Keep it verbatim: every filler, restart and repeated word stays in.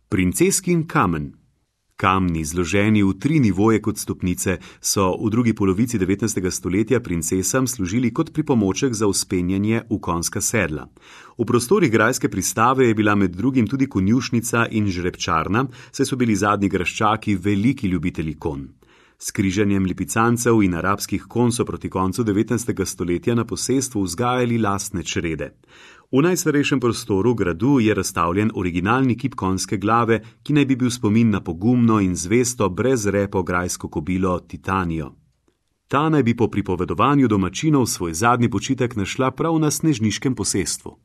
Princeskin kamen. Kamni, zloženi v tri nivoje kot stopnice, so v drugi polovici devetnajstega stoletja princesam služili kot pripomoček za vzpenjanje v konjska sedla. V prostorih grajske pristave je bila med drugim tudi konjušnica in žrebčarna, saj so bili zadnji graščaki veliki ljubitelji konj. S križanjem lipicancev in arabskih konj so proti koncu devetnajstega stoletja na posestvu vzgajali lastne črede. V najstarejšem prostoru gradu je razstavljen originalni kip konjske glave, ki naj bi bil spomin na pogumno in zvesto brez repo grajsko kobilo Titanijo. Ta naj bi po pripovedovanju domačinov svoj zadnji počitek našla prav na snežniškem posestvu.